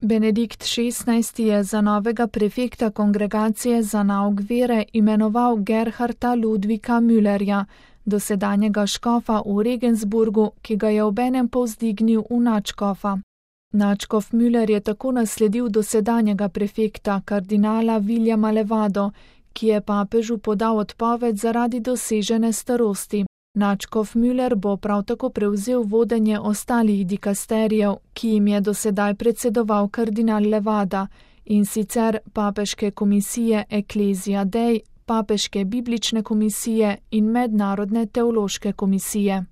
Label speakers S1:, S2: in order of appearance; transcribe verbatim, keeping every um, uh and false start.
S1: Benedikt šestnajsti je za novega prefekta kongregacije za nauk vere imenoval Gerharda Ludvika Müllerja, dosedanjega škofa v Regensburgu, ki ga je obenem povzdignil v nadškofa. Nadškof Müller je tako nasledil dosedanjega prefekta, kardinala Viljama Levado, ki je papežu podal odpoved zaradi dosežene starosti. Nadškof Müller bo prav tako prevzel vodenje ostalih dikasterijev, ki jim je dosedaj predsedoval kardinal Levada, in sicer papeške komisije Ecclesia Dei, papeške biblične komisije in mednarodne teološke komisije.